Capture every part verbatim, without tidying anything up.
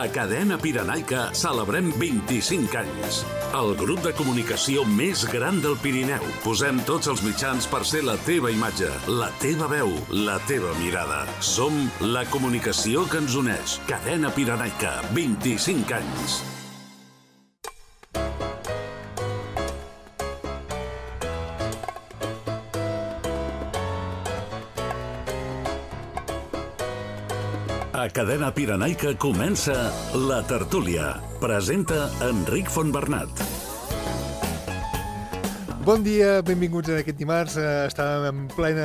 A Cadena Pirenaica celebrem vint-i-cinc anys. El grup de comunicació més gran del Pirineu. Posem tots els mitjans per ser la teva imatge, la teva veu, la teva mirada. Som la comunicació que ens uneix. Cadena Pirenaica, vint-i-cinc anys. A Cadena Pirenaica comença La Tertúlia. Presenta Enric Fontbernat. Bon dia, benvinguts en aquest dimarts. Estàvem en plena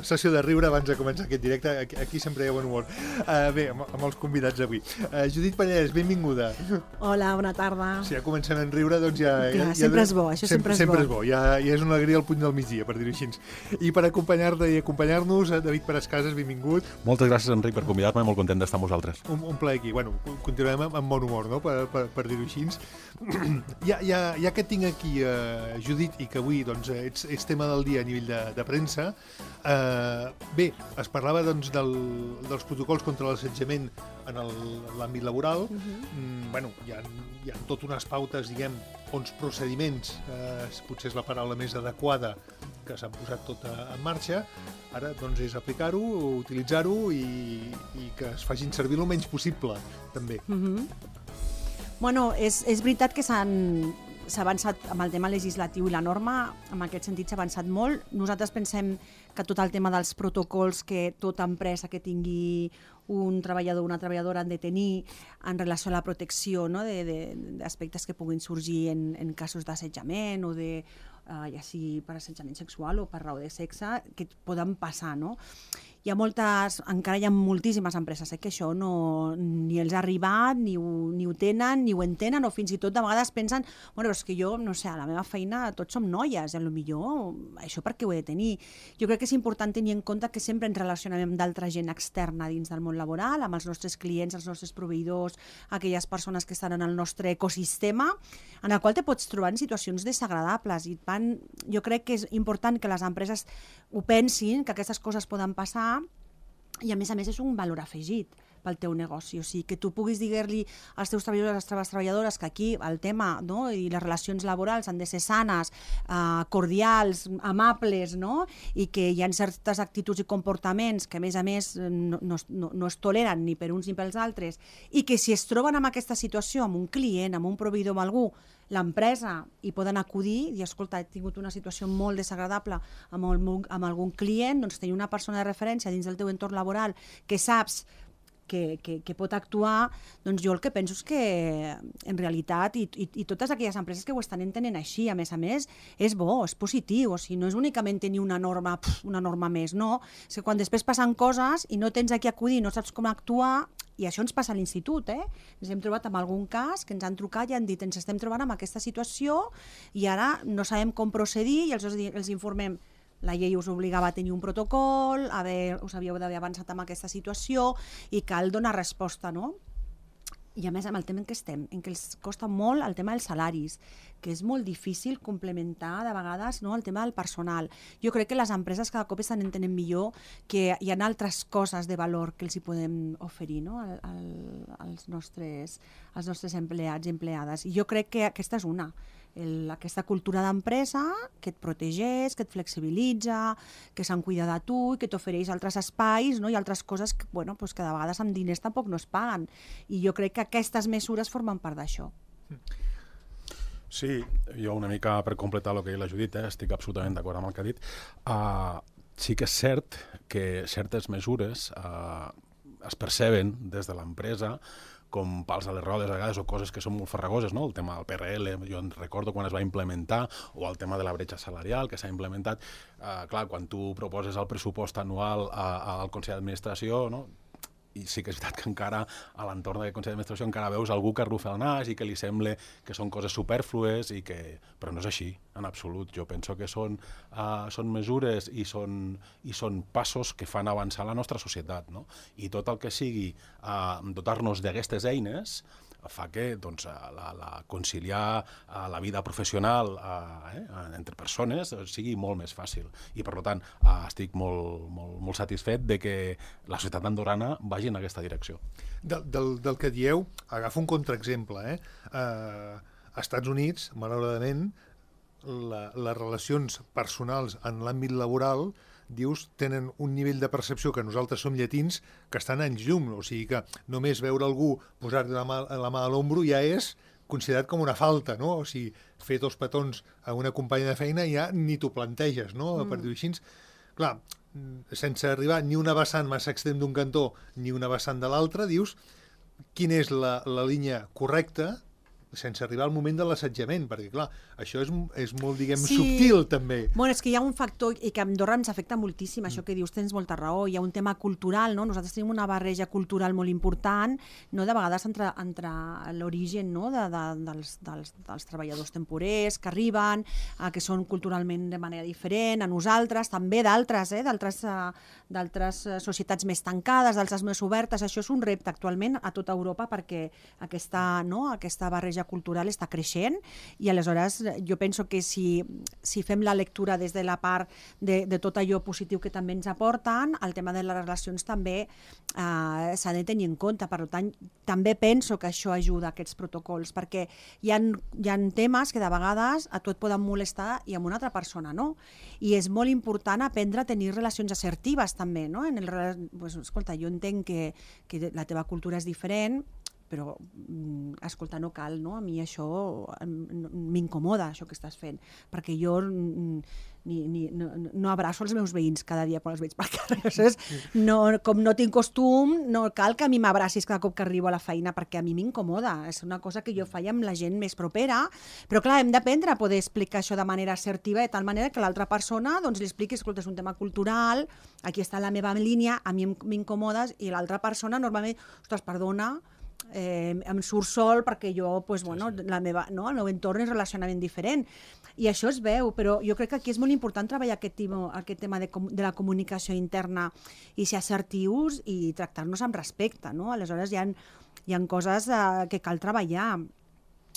sessió de riure abans de començar aquest directe. Aquí sempre hi ha bon humor. Uh, bé, amb, amb els convidats d'avui. Uh, Judit Pallès, benvinguda. Hola, bona tarda. Si ja comencem a riure, doncs ja... Clar, ja, ja sempre és bo, això sempre, sempre és bo. Sempre és bo, ja, ja és una alegria al punt del migdia, per dir-ho així. I per acompanyar-te i acompanyar-nos, David Parascases, benvingut. Moltes gràcies, Enric, per convidar-me, molt content d'estar amb vosaltres. Un, un plaer aquí. Bueno, continuem amb, amb bon humor, no?, per, per, per dir-ho així. ja, ja, ja que tinc aquí, uh, Judit, i que avui, doncs, ets, ets tema del dia a nivell de, de premsa. Eh, bé, es parlava doncs, del, dels protocols contra l'assetjament en l'àmbit laboral. Uh-huh. mm, bueno, hi ha, hi ha tot unes pautes, diguem, uns procediments, eh, potser és la paraula més adequada, que s'han posat tot en marxa. Ara doncs, és aplicar-ho, utilitzar-ho i, i que es facin servir el menys possible, també. Uh-huh. Bueno, és, és veritat que s'han... s'ha avançat amb el tema legislatiu i la norma, en aquest sentit s'ha avançat molt. Nosaltres pensem que tot el tema dels protocols que tota empresa que tingui un treballador o una treballadora han de tenir en relació a la protecció, no?, d'aspectes que puguin sorgir en, en casos d'assetjament o de, uh, ja sigui per assetjament sexual o per raó de sexe, que poden passar, no? Hi ha moltes, encara hi ha moltíssimes empreses eh, que això no, ni els ha arribat, ni ho, ni ho tenen, ni ho entenen, o fins i tot de vegades pensen, bueno, és que jo, no sé, a la meva feina tots som noies, i a lo millor això per què ho he de tenir? Jo crec que és important tenir en compte que sempre ens relacionem amb d'altra gent externa dins del món laboral, amb els nostres clients, els nostres proveïdors, aquelles persones que estan en el nostre ecosistema, en el qual te pots trobar en situacions desagradables. I van, jo crec que és important que les empreses ho pensin, que aquestes coses poden passar, i a més a més és un valor afegit pel teu negoci, o sigui, que tu puguis dir-li als teus treballadors, a les teves treballadores, que aquí el tema, no?, i les relacions laborals han de ser sanes, eh, cordials, amables, no?, i que hi ha certes actituds i comportaments que a més a més no, no, no es toleren ni per uns ni pels altres, i que si es troben en aquesta situació amb un client, amb un proveïdor, amb algú, l'empresa, hi poden acudir i, escolta, he tingut una situació molt desagradable amb, el, amb algun client, doncs tenir una persona de referència dins del teu entorn laboral que saps Que, que, que pot actuar, doncs jo el que penso és que en realitat, i, i, i totes aquelles empreses que ho estan entenent així, a més a més, és bo, és positiu, o sigui, no és únicament tenir una norma, pf, una norma més, no, és que quan després passen coses i no tens a qui acudir, no saps com actuar, i això ens passa a l'institut, eh? Ens hem trobat amb algun cas que ens han trucat i han dit ens estem trobant amb aquesta situació i ara no sabem com procedir i els, els informem. La llei us obligava a tenir un protocol, a haver, us havíeu d'haver avançat amb aquesta situació i cal donar resposta, no? I a més amb el tema en què estem, en què els costa molt el tema dels salaris, que és molt difícil complementar de vegades, no?, el tema del personal. Jo crec que les empreses cada cop estan entenent millor que hi ha altres coses de valor que els hi podem oferir, no?, al, al, als, nostres, als nostres empleats i empleades. I jo crec que aquesta és una. El, aquesta cultura d'empresa que et protegeix, que et flexibilitza, que se'n cuida de tu i que t'ofereix altres espais, no?, i altres coses que, bueno, pues que de vegades amb diners tampoc no es paguen. I jo crec que aquestes mesures formen part d'això. Sí, jo una mica per completar el que ha dit la Judit, eh, estic absolutament d'acord amb el que ha dit. Uh, sí que és cert que certes mesures uh, es perceben des de l'empresa com pals a les rodes a vegades o coses que són molt farragoses, no? El tema del P R L, jo en recordo quan es va implementar, o el tema de la bretxa salarial que s'ha implementat. Eh, clar, quan tu proposes el pressupost anual a, a, al Consell d'Administració, no?, i sí que és veritat que encara a l'entorn del Consell d'Administració encara veus algú que arrufa el nas i que li sembla que són coses supèrflues, i que... però no és així, en absolut. Jo penso que són, uh, són mesures i són, i són passos que fan avançar la nostra societat, no? I tot el que sigui uh, dotar-nos d'aquestes eines fa que doncs, la, la conciliar la vida professional eh, entre persones sigui molt més fàcil. I, per tant, estic molt, molt, molt satisfet de que la societat andorrana vagi en aquesta direcció. Del, del, del que dieu, agafo un contraexemple. Eh? Uh, als Estats Units, malauradament, la, les relacions personals en l'àmbit laboral, dius, tenen un nivell de percepció que nosaltres som llatins que estan anys llum. O sigui que només veure algú posar-li la mà, la mà a l'ombro ja és considerat com una falta, no? O sigui, fer dos petons a una companya de feina ja ni t'ho planteges, no? Mm. Per dir-ho així. Clar, sense arribar ni una vessant massa extrem d'un cantó ni una vessant de l'altre, dius quina és la, la línia correcta sense arribar al moment de l'assetjament, perquè, clar, això és, és molt, diguem, sí. subtil, també. Bueno, és que hi ha un factor, i que a Andorra ens afecta moltíssim, això que dius, tens molta raó, hi ha un tema cultural, no? Nosaltres tenim una barreja cultural molt important, no? De vegades entre, entre l'origen, no? de, de, dels, dels, dels treballadors temporers que arriben, eh, que són culturalment de manera diferent, a nosaltres, també d'altres, eh? d'altres d'altres societats més tancades, d'altres més obertes. Això és un repte actualment a tota Europa perquè aquesta, no? aquesta barreja cultural està creixent i aleshores jo penso que si, si fem la lectura des de la part de, de tot allò positiu que també ens aporten, el tema de les relacions també eh, s'ha de tenir en compte. Per tant, també penso que això ajuda a aquests protocols, perquè hi ha, hi ha temes que de vegades a tu et poden molestar i amb una altra persona no. I és molt important aprendre a tenir relacions assertives també, no? En el, pues, escolta, jo entenc que, que la teva cultura és diferent, però, escolta, no cal, no? A mi això m'incomoda, això que estàs fent, perquè jo ni, ni, no, no abraço els meus veïns cada dia quan els veig pel carrer. Aleshores, no, com no tinc costum, no cal que a mi m'abracis cada cop que arribo a la feina, perquè a mi m'incomoda. És una cosa que jo faig amb la gent més propera, però clar, hem d'aprendre a poder explicar això de manera assertiva, de tal manera que l'altra persona doncs, li expliqui, escolta, és un tema cultural, aquí està la meva línia, a mi m'incomodes, i l'altra persona normalment, ostres, perdona, Eh, em surt sol perquè jo, pues, bueno, sí, sí. La meva, no, el meu entorn és relacionament diferent i això es veu, però jo crec que aquí és molt important treballar aquest tema, aquest tema de, de la comunicació interna i ser assertius i tractar-nos amb respecte, no? Aleshores hi ha, hi ha coses eh, que cal treballar.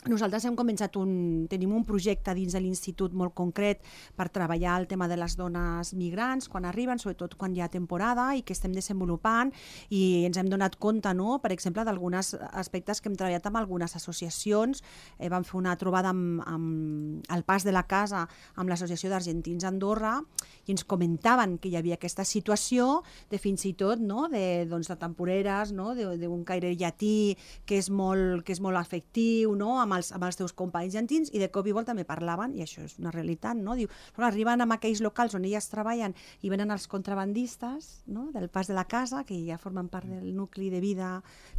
Nosaltres hem començat un, tenim un projecte dins de l'institut molt concret per treballar el tema de les dones migrants quan arriben, sobretot quan hi ha temporada i que estem desenvolupant i ens hem donat compte, no? Per exemple, d'alguns aspectes que hem treballat amb algunes associacions. Eh, vam fer una trobada amb, amb el Pas de la Casa amb l'Associació d'Argentins a Andorra i ens comentaven que hi havia aquesta situació de fins i tot, no? de, doncs, de temporeres, no? d'un caire llatí que és molt, que és molt afectiu, no? amb Els, amb els teus companys llatins, i de cop i volta també parlaven, i això és una realitat, no? Diu, arriben a aquells locals on elles treballen i venen els contrabandistes, no? Del Pas de la Casa, que ja formen part del nucli de vida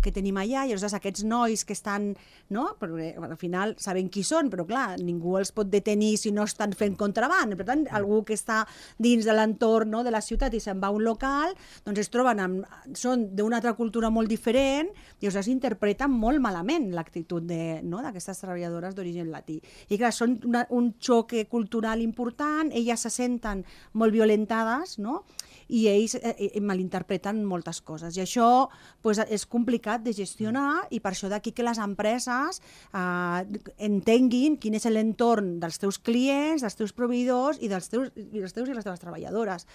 que tenim allà, i llavors aquests nois que estan, no? Perquè al final saben qui són, però clar, ningú els pot detenir si no estan fent contraband. Per tant, algú que està dins de l'entorn, no? de la ciutat i se'n va a un local, doncs es troben amb, són d'una altra cultura molt diferent i llavors interpreten molt malament l'actitud de, no? d'aquesta aquestes treballadores d'origen latí. I clar, són una, un xoc cultural important, elles se senten molt violentades, no? I ells eh, malinterpreten moltes coses. I això pues, és complicat de gestionar i per això d'aquí que les empreses eh, entenguin quin és l'entorn dels teus clients, dels teus proveïdors i dels teus i, dels teus i les teves treballadores.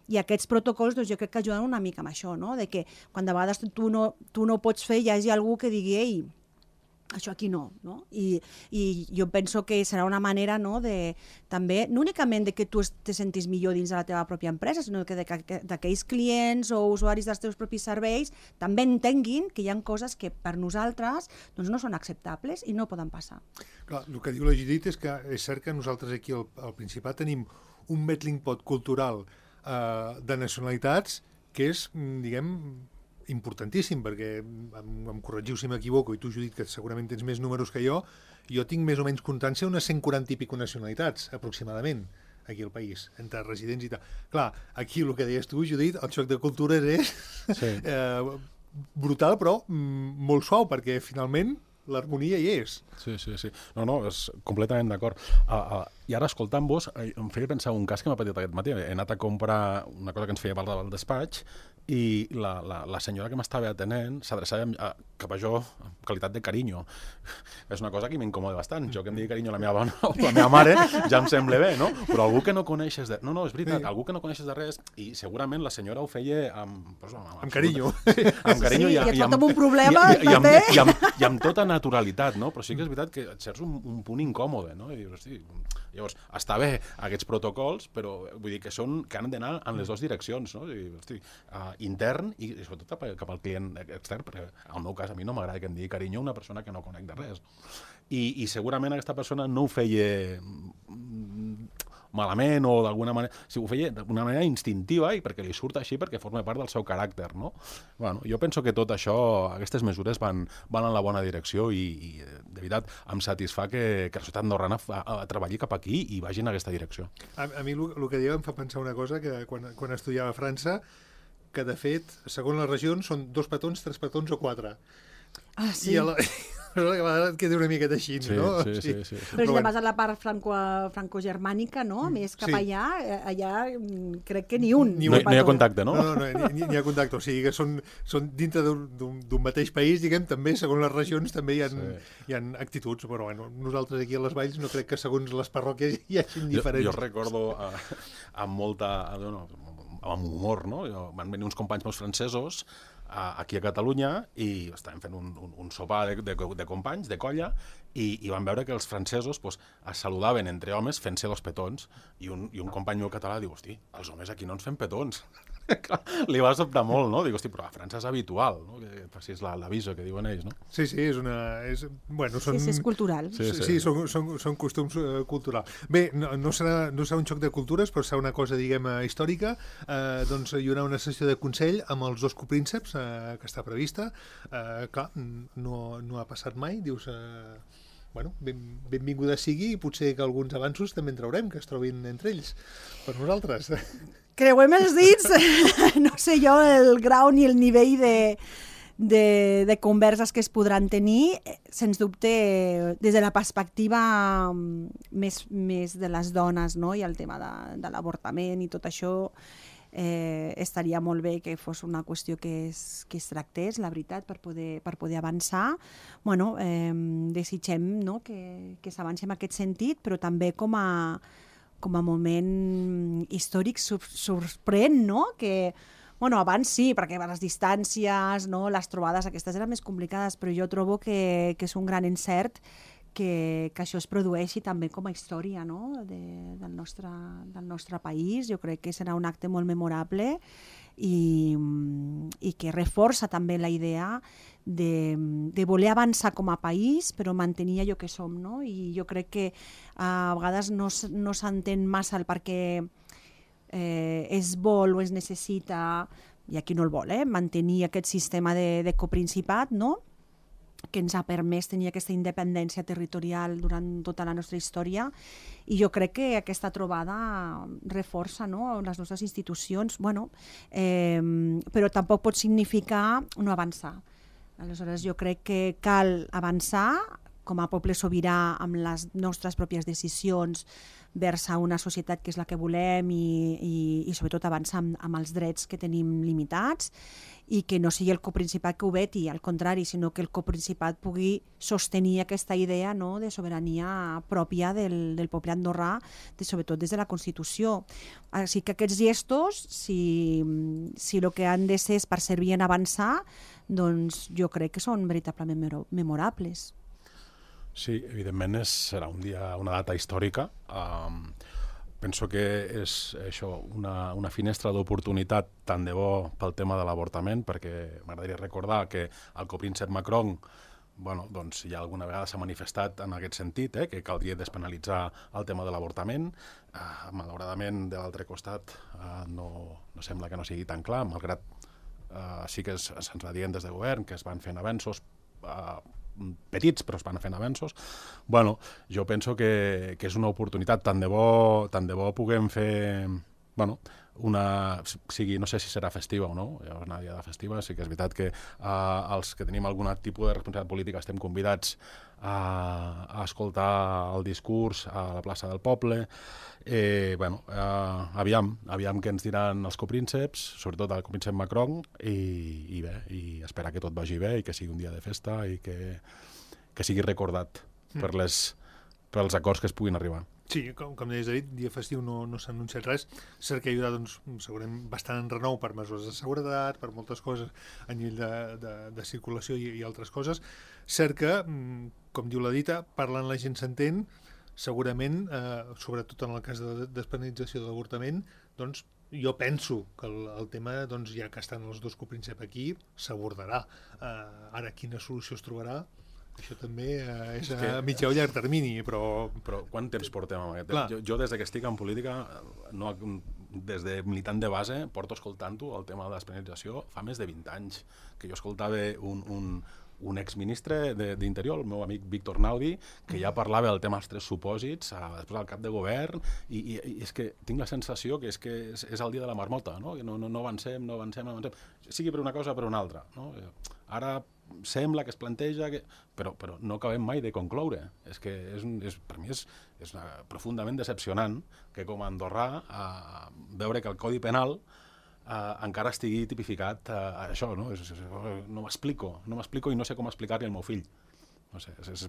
I aquests protocols doncs, jo crec que ajuden una mica amb això, no? De que quan de vegades tu no, tu no pots fer, hi hagi algú que digui ei, això aquí no, no? I, i jo penso que serà una manera, no, de, també, no únicament de que tu te sentis millor dins de la teva pròpia empresa, sinó que d'aquells clients o usuaris dels teus propis serveis també entenguin que hi ha coses que per nosaltres doncs, no són acceptables i no poden passar. Clar, el que diu la Judit és que és cert que nosaltres aquí al, al Principat tenim un melting pot cultural eh, de nacionalitats que és, diguem, importantíssim, perquè em, em corregiu si m'equivoco, i tu, Judit, que segurament tens més números que jo, jo tinc més o menys constància unes cent quaranta i pico nacionalitats, aproximadament, aquí al país, entre residents i tal. Clar, aquí el que deies tu, Judit, el xoc de cultures és sí. eh, brutal, però mm, molt suau, perquè finalment l'harmonia hi és. Sí, sí, sí. No, no, és completament d'acord. Uh, uh, I ara, escoltant-vos, em feia pensar un cas que m'ha patit aquest matí. He anat a comprar una cosa que ens feia parlar del despatx, i la, la, la senyora que m'estava atenent s'adreçava a, cap a jo en qualitat de carinyo. És una cosa que m'incomoda bastant. Jo que em digui carinyo a la meva dona o la meva mare ja em sembla bé, no? Però algú que no coneixes de... No, no, és veritat, sí. Algú que no coneixes de res, i segurament la senyora ho feia amb... Pues, amb, amb carinyo. Sí, amb carinyo sí, i, i, i, i, amb, un problema, i, i, i, amb, i, amb, i amb tota naturalitat, no? Però sí que és veritat que et certs un, un punt incòmode, no? I dius, hosti, llavors, està bé aquests protocols, però vull dir que són que han d'anar en les dues direccions, no? I, hosti, uh, intern i, i sobretot cap, cap al client extern, perquè en el meu cas a mi no m'agrada que em digui carinyo una persona que no conec de res. I, i segurament aquesta persona no ho feia malament o d'alguna manera... Si ho feia d'una manera instintiva i perquè li surt així, perquè forma part del seu caràcter, no? Bueno, jo penso que tot això, aquestes mesures van, van en la bona direcció i, i de veritat, em satisfà que, que la societat andorrana a, a treballi cap aquí i vagi en aquesta direcció. A, a mi el que dieu em fa pensar una cosa, que quan, quan estudiava a França, que de fet, segons les regions, són dos petons, tres petons o quatre. Ah, sí. I a la... a vegades et queda una miqueta així, sí, no? Sí, sí, sí, sí. Però, Però si bueno. vas a la part franco, franco-germànica, no? Més cap sí. allà, allà crec que ni un. Ni, no, no hi ha contacte, no? No, no, no ni, ni hi ha contacte. O sigui que són, són dintre d'un mateix país, diguem, també, segons les regions, també hi ha, sí. hi ha actituds. Però bueno, nosaltres aquí a les Valls no crec que segons les parròquies hi hagi diferents. Jo, jo recordo uh, amb molta... No, amb humor, no? Jo, van venir uns companys meus francesos aquí a Catalunya i estàvem fent un, un, un sopar de, de, de companys, de colla, i, i van veure que els francesos pues, es saludaven entre homes fent-se los petons, i un, i un company meu català diu, hosti, els homes aquí no ens fem petons. Li va sobtar molt, no? Dic, hosti, però a França és habitual, no? Que facis l'aviso que diuen ells, no? Sí, sí, és una... És, bueno, són, sí, sí, és cultural. Sí, sí, sí són, són, són costums uh, culturals. Bé, no, no, serà, no serà un xoc de cultures, però serà una cosa, diguem, històrica. Uh, doncs hi haurà una sessió de consell amb els dos coprínceps, uh, que està prevista. Uh, clar, no, no ha passat mai, dius... Uh, bueno, ben, benvinguda sigui, i potser que alguns avanços també en traurem, que es trobin entre ells, per nosaltres. Creuem els dits, no sé jo el grau ni el nivell de, de, de converses que es podran tenir, sens dubte des de la perspectiva més, més de les dones, no? I el tema de, de l'avortament i tot això, eh, estaria molt bé que fos una qüestió que es, que es tractés, la veritat, per poder, per poder avançar. Bueno, eh, desitgem, no? que, que s'avanci en aquest sentit, però també com a com a moment històric sorprèn, no? Que, bueno, abans sí, perquè les distàncies, no? Les trobades aquestes eren més complicades, però jo trobo que, que és un gran encert que, que això es produeixi també com a història, no? De, del, nostre, del nostre país. Jo crec que serà un acte molt memorable i, i que reforça també la idea de, de voler avançar com a país, però mantenir allò que som, no? I jo crec que a vegades no, no s'entén massa el perquè eh, es vol o es necessita, i aquí no el vol, eh, mantenir aquest sistema de, de coprincipat, no? Que ens ha permès tenir aquesta independència territorial durant tota la nostra història, i jo crec que aquesta trobada reforça, no? Les nostres institucions, bueno, eh, però tampoc pot significar no avançar. Aleshores, jo crec que cal avançar com a poble sobirà amb les nostres pròpies decisions vers a una societat que és la que volem i, i, i sobretot avançar amb, amb els drets que tenim limitats, i que no sigui el coprincipat que ho veti, al contrari, sinó que el coprincipat pugui sostenir aquesta idea, no? De sobirania pròpia del, del poble andorrà, de, sobretot des de la Constitució. Així que aquests gestos, si, si el que han de ser és per servir en avançar, doncs jo crec que són veritablement memorables. Sí, evidentment és, serà un dia, una data històrica. Um, penso que és això, una, una finestra d'oportunitat tant de bo pel tema de l'avortament, perquè m'agradaria recordar que el copríncep Macron, bueno, doncs ja alguna vegada s'ha manifestat en aquest sentit, eh, que caldria despenalitzar el tema de l'avortament. Uh, malauradament, de l'altre costat, uh, no, no sembla que no sigui tan clar, malgrat uh, sí que se'ns va dient des del govern que es van fent avenços uh, petits, però es van fent avenços. Bueno, jo penso que, que és una oportunitat, tant de bo, tant de bo puguem fer, bueno, una, sigui, no sé si serà festiva o no, hi ha una diada festiva, sí que és veritat que uh, els que tenim algun tipus de responsabilitat política estem convidats a, a escoltar el discurs a la plaça del poble. Eh, bueno, uh, aviam, aviam què ens diran els coprínceps, sobretot el copríncep Macron, i, i bé, i esperar que tot vagi bé i que sigui un dia de festa i que, que sigui recordat mm. per les, pels acords que es puguin arribar. Sí, com, com deies, David, dia festiu no, no s'ha anunciat res. Cert que hi haurà, doncs, segurament bastant en renou per mesures de seguretat, per moltes coses a nivell de, de, de circulació i, i altres coses. Cert que, com diu la dita, parlant la gent s'entén, segurament, eh, sobretot en el cas de despenalització de l'avortament, doncs, jo penso que el, el tema, doncs, ja que estan els dos coprínceps aquí, s'abordarà. Eh, ara, quina solució es trobarà? Això també eh, és a mitjà o llarg termini, però... Però quant temps portem amb aquest? Jo, jo des que estic en política, no, des de militant de base, porto escoltant-ho, el tema de la despenalització, fa més de vint anys, que jo escoltava un, un, un exministre d'Interior, el meu amic Víctor Naudi, que ja parlava del tema dels tres supòsits, a, després al cap de govern, i, i, i és que tinc la sensació que és que és, és el dia de la marmota, no? No, no, no avancem, no avancem, no avancem, sigui per una cosa o per una altra, no? Ara sembla que es planteja, que... Però, però no acabem mai de concloure. És que és, és, per mi és, és una, profundament decepcionant que com a andorrà eh, veure que el Codi Penal eh, encara estigui tipificat eh, això, no? És, és, no m'explico, no m'explico i no sé com explicar-li al meu fill. No sé, és, és,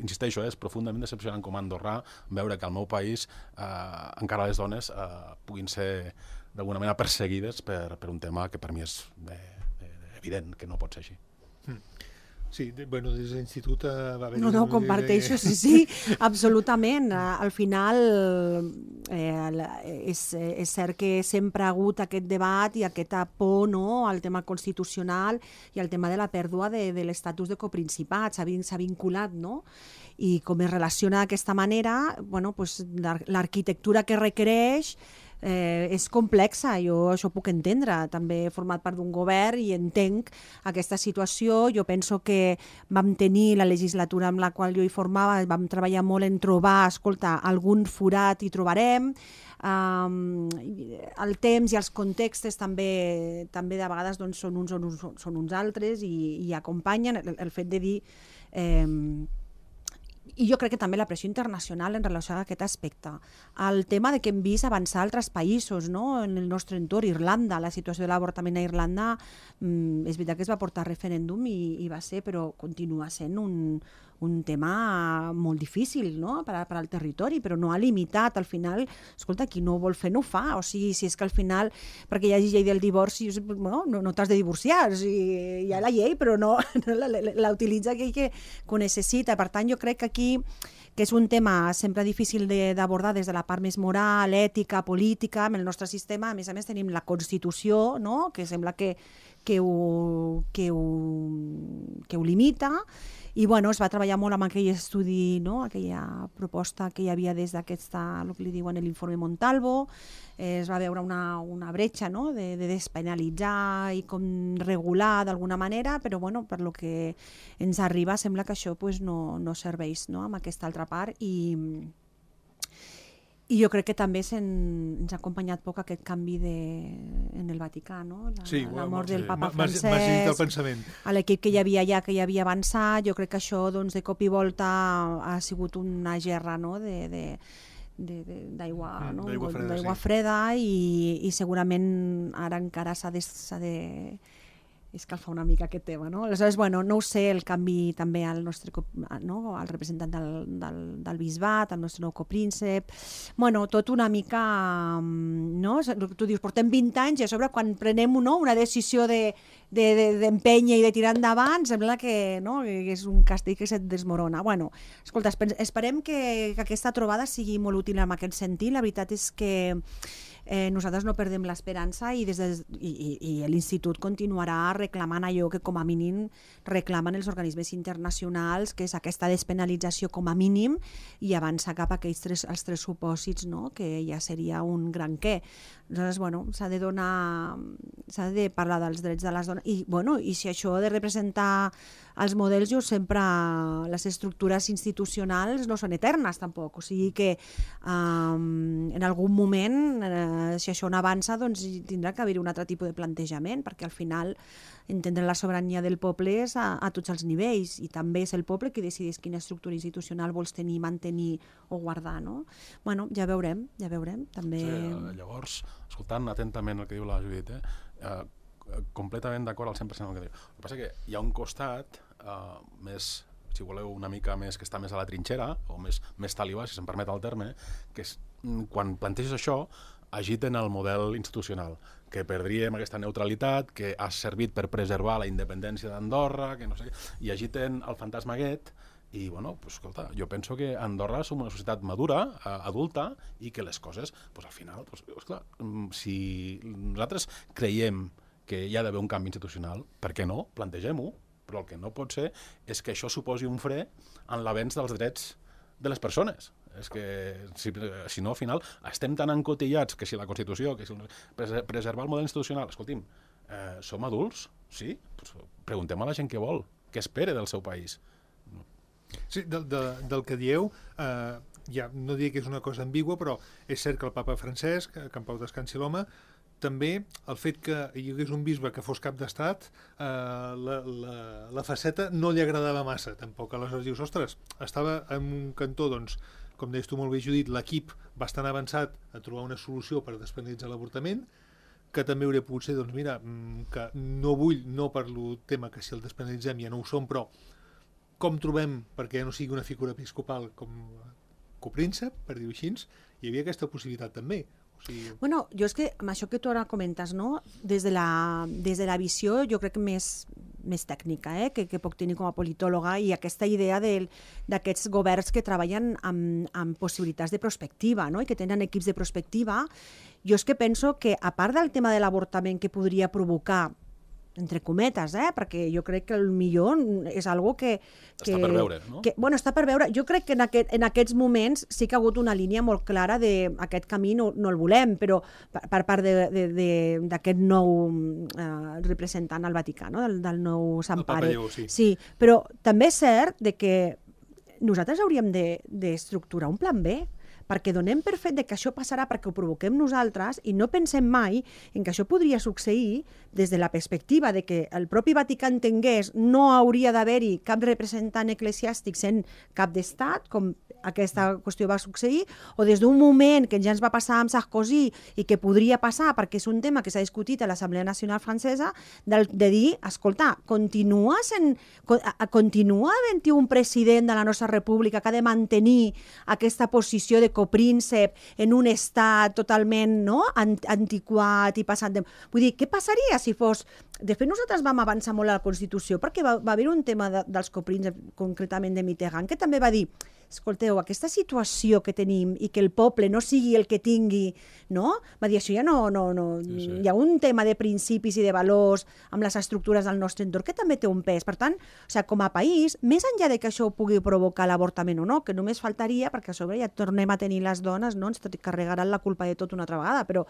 insisteixo, és profundament decepcionant com a andorrà veure que al meu país eh, encara les dones eh, puguin ser d'alguna manera perseguides per, per un tema que per mi és de, de, evident que no pot ser així. Sí, bueno, des de l'institut eh, va haver... No, no, comparteixo, sí, sí, absolutament. Al final eh, és, és cert que sempre ha hagut aquest debat i aquesta por, no?, al tema constitucional i al tema de la pèrdua de, de l'estatus de coprincipat, s'ha vinculat, no? I com es relaciona d'aquesta manera, bueno, pues, l'arquitectura que requereix Eh, és complexa, jo això puc entendre, també he format part d'un govern i entenc aquesta situació. Jo penso que vam tenir la legislatura amb la qual jo hi formava, vam treballar molt en trobar, escolta, algun forat hi trobarem, um, el temps i els contextos també, també de vegades doncs, són, uns, són, uns, són uns altres i, i acompanyen el, el fet de dir... Eh, I jo crec que també la pressió internacional en relació a aquest aspecte. El tema de que hem vist avançar altres països, no?, en el nostre entorn, Irlanda, la situació de l'avortament a Irlanda, mm, és veritat que es va portar a referèndum i, i va ser, però continua sent un, un tema molt difícil, no?, per, per al territori, però no ha limitat. Al final, escolta, qui no vol fer no ho fa. O sigui, si és que al final, perquè hi hagi llei del divorci, no, no, no t'has de divorciar. O sigui, hi ha la llei, però no, no la, la utilitza aquell que, que ho necessita. Per tant, jo crec que aquí que és un tema sempre difícil d'abordar des de la part més moral, ètica, política. En el nostre sistema, a més a més, tenim la Constitució, no?, que sembla que, que, ho, que, ho, que ho limita. I bueno, es va treballar molt amb aquell estudi, no?, aquella proposta que hi havia des d'aquesta, el que li diuen l'informe Montalvo. Eh, es va veure una, una bretxa, no?, de, de despenalitzar i com regular d'alguna manera, però bueno, per lo que ens arriba sembla que això pues, no, no serveix, no?, amb aquesta altra part. I, i jo crec que també ens ha acompanyat poc aquest canvi de, en el Vaticà, no?, la, sí, la mort del sí. papa Francesc, a l'equip que hi havia allà, que hi havia avançat. Jo crec que això doncs, de cop i volta ha sigut una gerra, no?, de... de d'aigua no? freda, sí. freda i, i segurament ara encara s'ha de, de escalfar una mica aquest tema, no? Aleshores, bueno, no ho sé, el canvi també al nostre, no?, al representant del, del, del bisbat, al nostre nou copríncep, bueno, tot una mica, no? Tu dius, portem vint anys i a sobre quan prenem, no?, una decisió de d'empènyer i de tirar endavant, sembla que, no?, que és un castell que se't desmorona. Bueno, escolta, esperem que, que aquesta trobada sigui molt útil en aquest sentit. La veritat és que eh, nosaltres no perdem l'esperança i, des de, i, i, i l'institut continuarà reclamant allò que com a mínim reclamen els organismes internacionals, que és aquesta despenalització com a mínim i avançar cap a aquells tres, els tres supòsits, no?, que ja seria un gran què. Aleshores, bueno, s'ha de donar, s'ha de parlar dels drets de les dones i, bueno, i si això ha de representar els models jo sempre, les estructures institucionals no són eternes tampoc, o sigui que um, en algun moment, eh, si això no avança, doncs tindrà que haver-hi un altre tipus de plantejament, perquè al final entendre la sobirania del poble és a, a tots els nivells, i també és el poble qui decideix quina estructura institucional vols tenir, mantenir o guardar, no? Bueno, ja veurem, ja veurem, també... Sí, llavors, escoltant atentament el que diu la Judit, eh, eh, completament d'acord al cent per cent amb el que diu. El que passa que hi ha un costat eh, més, si voleu, una mica més, que està més a la trinxera, o més, més talibà, si se'm permet el terme, que és, quan planteges això, agiten el model institucional, que perdríem aquesta neutralitat, que ha servit per preservar la independència d'Andorra, que no sé què, i agiten el fantasma aquest, i, bueno, pues, escolta, jo penso que Andorra som una societat madura, adulta, i que les coses, pues, al final, pues, esclar, si nosaltres creiem que hi ha d'haver un canvi institucional, per què no? Plantegem-ho, però el que no pot ser és que això suposi un fre en l'avenç dels drets de les persones. És que, si, si no, al final, estem tan encotillats que si la Constitució, que si preservar el model institucional, escolti'm, eh, som adults? Sí? Pues preguntem a la gent què vol, què espera del seu país. Sí, del, de, del que dieu, eh, ja no diria que és una cosa ambigua, però és cert que el papa Francesc, que en pau descansi l'home, també el fet que hi hagués un bisbe que fos cap d'estat, eh, la, la, la faceta no li agradava massa, tampoc. Aleshores dius, ostres, estava en un cantó, doncs, com deies tu molt bé, Judit, l'equip bastant avançat a trobar una solució per despenalitzar l'avortament, que també hauria pogut ser, doncs mira, que no vull, no per el tema que si el despenalitzem ja no ho som, però com trobem, perquè ja no sigui una figura episcopal com copríncep, per dir-ho així, hi havia aquesta possibilitat també. O sigui... Bueno, jo és que amb això que tu ara comentes, no? Des de la, des de la visió, jo crec que més, més tècnica, eh? que, que puc tenir com a politòloga, i aquesta idea d'aquests governs que treballen amb, amb possibilitats de prospectiva, no? I que tenen equips de prospectiva, jo és que penso que, a part del tema de l'avortament que podria provocar, entre cometes, eh? Perquè jo crec que el millor és algo que... que està per veure, no? Que, bueno, està per veure. Jo crec que en, aquest, en aquests moments sí que ha hagut una línia molt clara de aquest camí no, no el volem, però per, per part d'aquest nou eh, representant al Vaticà, no? del, del nou Sant Pare. Lleu, sí. Sí, però també és cert de que nosaltres hauríem d'estructurar de, un plan B, perquè donem per fet de que això passarà perquè ho provoquem nosaltres i no pensem mai en que això podria succeir des de la perspectiva de que el propi Vaticà entengués no hauria d'haver-hi cap representant eclesiàstic sent cap d'estat, com aquesta qüestió va succeir, o des d'un moment que ja ens va passar amb Sarkozy i que podria passar perquè és un tema que s'ha discutit a l'Assemblea Nacional Francesa, de, de dir, escolta, continua, sent, continua havent-hi un president de la nostra república que ha de mantenir aquesta posició de copríncep en un estat totalment no? antiquat i passat de... Vull dir, què passaria si fos... De fet, nosaltres vam avançar molt a la Constitució perquè va, va haver un tema de, dels coprínceps, concretament de Mitterrand, que també va dir, escolteu, aquesta situació que tenim i que el poble no sigui el que tingui, no? Va dir, això ja no... no, no. Sí, sí. Hi ha un tema de principis i de valors amb les estructures del nostre entorn que també té un pes. Per tant, o sigui, com a país, més enllà de que això pugui provocar l'avortament o no, que només faltaria, perquè a sobre ja tornem a tenir les dones, no? Ens carregaran la culpa de tot una altra vegada, però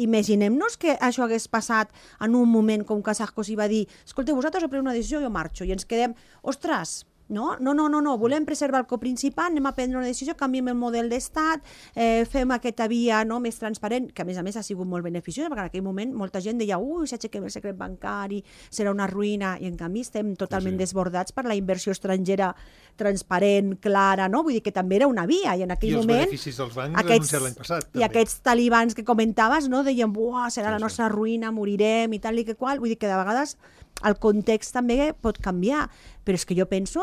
imaginem-nos que això hagués passat en un moment com que Sarkozy va dir, escolteu, vosaltres heu pres una decisió, jo marxo, i ens quedem, ostres, no, no, no, no, no, volem preservar el coprincipat, anem a prendre una decisió, canviem el model d'estat, eh, fem aquesta via no, més transparent, que a més a més ha sigut molt beneficiosa, perquè en aquell moment molta gent deia, ui, s'aixequem el secret bancari, serà una ruïna, i en canvi estem totalment sí. desbordats per la inversió estrangera transparent, clara, no? Vull dir que també era una via, i en aquell I moment... I els beneficis dels bancs anunciats l'any passat, també. I aquests talibans que comentaves, no, deien, buah, serà sí, la nostra sí. ruïna, morirem, i tal i que qual, vull dir que de vegades el context també pot canviar, però és que jo penso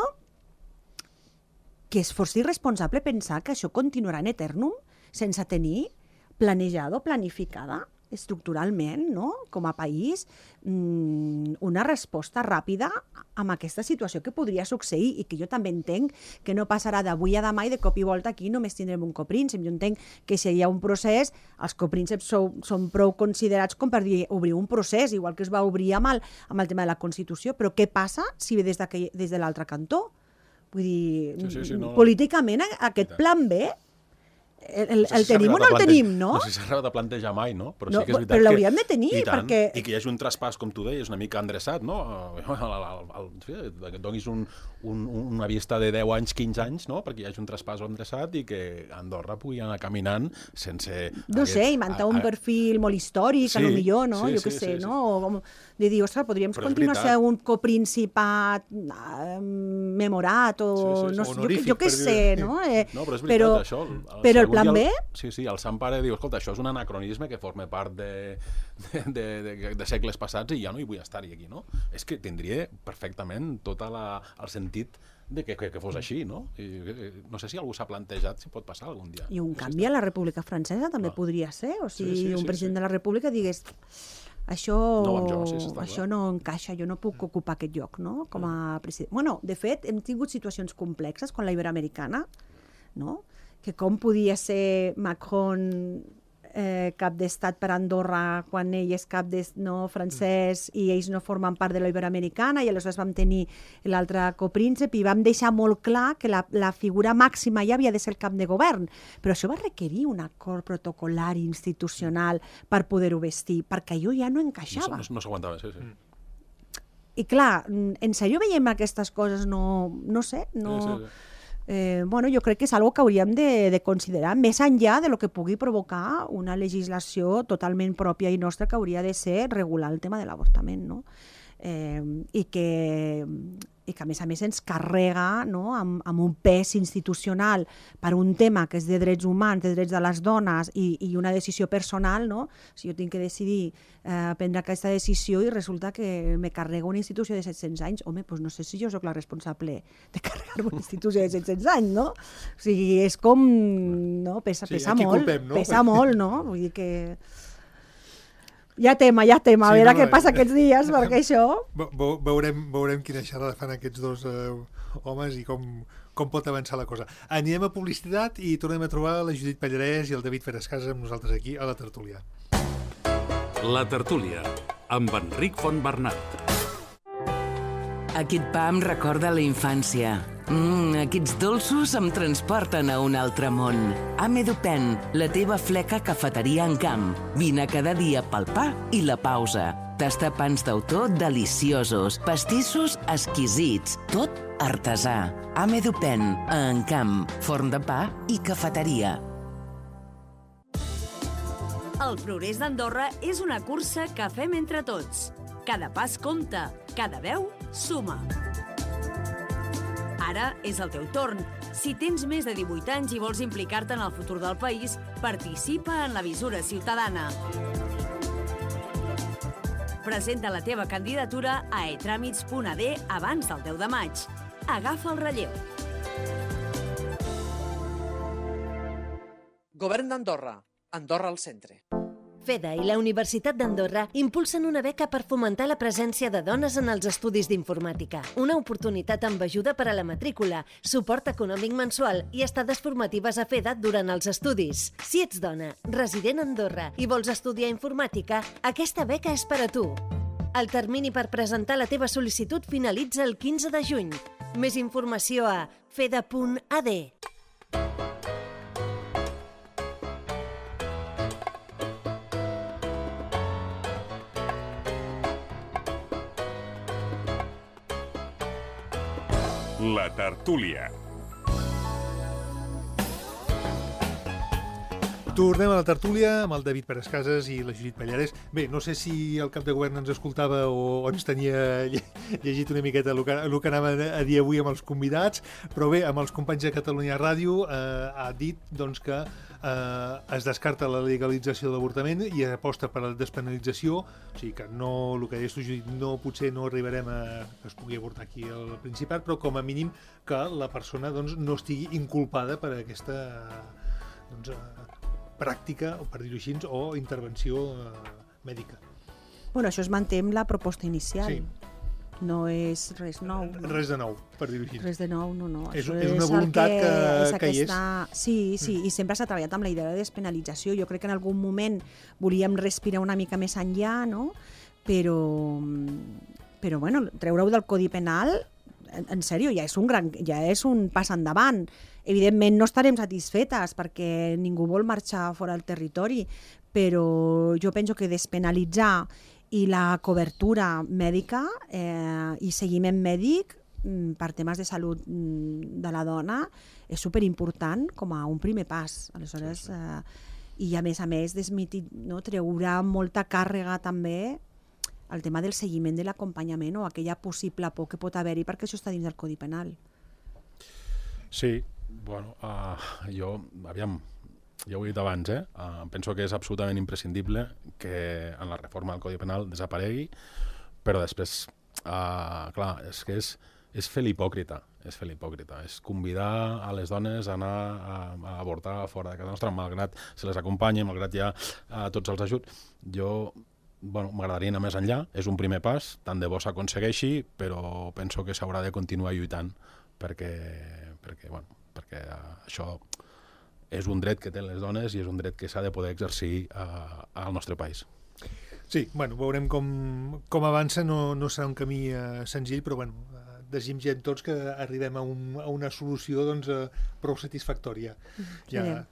que és força irresponsable pensar que això continuarà en eternum sense tenir planejada o planificada estructuralment, no? Com a país, una resposta ràpida amb aquesta situació que podria succeir i que jo també entenc que no passarà d'avui a demà i de cop i volta aquí només tindrem un copríncep. Jo entenc que si hi ha un procés, els coprínceps són, són prou considerats com per dir, obrir un procés, igual que es va obrir amb el, amb el tema de la Constitució, però què passa si ve des, des de l'altre cantó? Vull dir, sí, sí, sí, no, políticament aquest plan B el, el tenim o no el tenim, no? No sé si s'ha arribat a plantejar mai, no? Però no, sí que és veritat però l'hauríem de tenir, i tant, perquè... I que hi hagi un traspàs, com tu deies, una mica endreçat, no? Que et donis un, un, una vista de deu anys, quinze anys, no? Perquè hi hagi un traspàs endreçat i que Andorra pugui anar caminant sense... No sé, inventar un perfil molt històric, sí, a lo millor, no? Sí, jo què sí, sé, sí, no? O, de dir, ostres, podríem però continuar a ser un coprincipat eh, memorat o... Sí, sí, no, honorífic, jo, jo què sé, no? Eh, no, però és veritat, però, això... El, però el plan el, B... Sí, sí, el Sant Pare diu, escolta, això és un anacronisme que forma part de, de, de, de, de segles passats i ja no hi vull estar-hi aquí, no? És que tindria perfectament tot la, el sentit de que, que, que fos així, no? I, no sé si algú s'ha plantejat si pot passar algun dia. I un canvi a la República Francesa també ah. podria ser, o sigui, sí, sí, un sí, president sí. de la República digués... Això, no, jo, sí, això no encaixa, jo no puc ocupar aquest lloc, no?, com a president. Bueno, de fet, hem tingut situacions complexes con la Iberoamericana, no?, que com podia ser Macron eh, cap d'estat per Andorra quan ell és cap de, no, francès i ells no formen part de la Iberoamericana, i aleshores vam tenir l'altre copríncep i vam deixar molt clar que la, la figura màxima ja havia de ser el cap de govern, però això va requerir un acord protocolari institucional per poder-ho vestir, perquè allò ja no encaixava. No, no, no s'aguantava, sí, sí. I clar, en sèrio veiem aquestes coses, no, no sé, no... Sí, sí, sí. Eh, bueno, jo crec que és algo que hauríem de, de considerar, més enllà de lo que pugui provocar una legislació totalment pròpia i nostra, que hauria de ser regular el tema de l'avortament, no? Eh, i, que, i que a més a més ens carrega, no?, amb, amb un pes institucional per un tema que és de drets humans, de drets de les dones i, i una decisió personal, no? Si jo tinc que decidir eh, prendre aquesta decisió i resulta que me carrega una institució de set-cents anys, home, doncs no sé si jo sóc la responsable de carregar una institució de set-cents anys, no? O sigui, és com... no? Pesa, sí, pesa molt, culpem, no? pesa molt, no? Vull dir que... Ja tema, ja tema, sí, a veure no, què passa aquests dies, perquè això... Veurem, veurem quina xerrada fan aquests dos eh, homes i com, com pot avançar la cosa. Anirem a publicitat i tornem a trobar la Judit Pallarès i el David Ferescas amb nosaltres aquí a la tertúlia. La tertúlia, amb Enric Fontbernat. Aquest pa em recorda la infància. Mm, aquests dolços em transporten a un altre món. Amedupen, la teva fleca cafeteria en camp. Vine cada dia pel pa i la pausa. Tasta pans d'autor deliciosos, pastissos exquisits, tot artesà. Amedupen, a Encamp, forn de pa i cafeteria. El progrés d'Andorra és una cursa que fem entre tots. Cada pas compta, cada veu suma. Ara és el teu torn. Si tens més de divuit anys i vols implicar-te en el futur del país, participa en la Visura Ciutadana. Presenta la teva candidatura a e tràmits punt a de abans del deu de maig. Agafa el relleu. Govern d'Andorra. Andorra al centre. FEDA i la Universitat d'Andorra impulsen una beca per fomentar la presència de dones en els estudis d'informàtica. Una oportunitat amb ajuda per a la matrícula, suport econòmic mensual i estades formatives a FEDA durant els estudis. Si ets dona, resident a Andorra i vols estudiar informàtica, aquesta beca és per a tu. El termini per presentar la teva sol·licitud finalitza el quinze de juny. Més informació a feda punt a de. La tertúlia. Tornem a la tertúlia amb el David Perescases i la Judit Pallarès. Bé, no sé si el cap de govern ens escoltava o ens tenia llegit una miqueta el que, el que anava a dir avui amb els convidats, però bé, amb els companys de Catalunya Ràdio eh, ha dit doncs, que eh, es descarta la legalització de l'avortament i aposta per la despenalització, o sigui que no, el que deies tu, Judit, no, potser no arribarem a que es pugui avortar aquí al Principat, però com a mínim que la persona doncs, no estigui inculpada per aquesta doncs, pràctica, o per dir-ho així, o intervenció eh, mèdica. Bueno, això es manté amb la proposta inicial. Sí. No és res nou. No? Res de nou, per dir-ho així. Res de nou, no, no. És, és una voluntat que, que, és que aquesta... hi és. Sí, sí, mm. i sempre s'ha treballat amb la idea de despenalització. Jo crec que en algun moment volíem respirar una mica més enllà, no? Però, però bueno, treure-ho del Codi Penal en, en sèrio, ja és un gran, ja és un pas endavant. Evidentment no estarem satisfetes perquè ningú vol marxar fora del territori, però jo penso que despenalitzar i la cobertura mèdica eh, i seguiment mèdic per temes de salut de la dona és superimportant com a un primer pas. Aleshores, sí, sí. Eh, i a més a més desmitit, no, treurà molta càrrega també el tema del seguiment de l'acompanyament o aquella possible por que pot haver-hi perquè això està dins del Codi Penal. Sí, bueno, uh, jo, aviam, ja ho he dit abans, eh? Uh, penso que és absolutament imprescindible que en la reforma del Codi Penal desaparegui, però després, uh, clar, és que és, és fer l'hipòcrita, és fer l'hipòcrita, és convidar a les dones a anar a, a avortar fora de casa nostra, malgrat se les acompanyi, malgrat hi ha uh, tots els ajuts. Jo, bueno, m'agradaria anar més enllà, és un primer pas, tant de bo s'aconsegueixi, però penso que s'haurà de continuar lluitant perquè, perquè, bueno, perquè uh, això és un dret que tenen les dones i és un dret que s'ha de poder exercir uh, al nostre país. Sí, bueno, veurem com, com avança, no, no serà un camí uh, senzill, però bueno, uh, desitgem tots que arribem a, un, a una solució doncs, uh, prou satisfactòria. Sí. Ja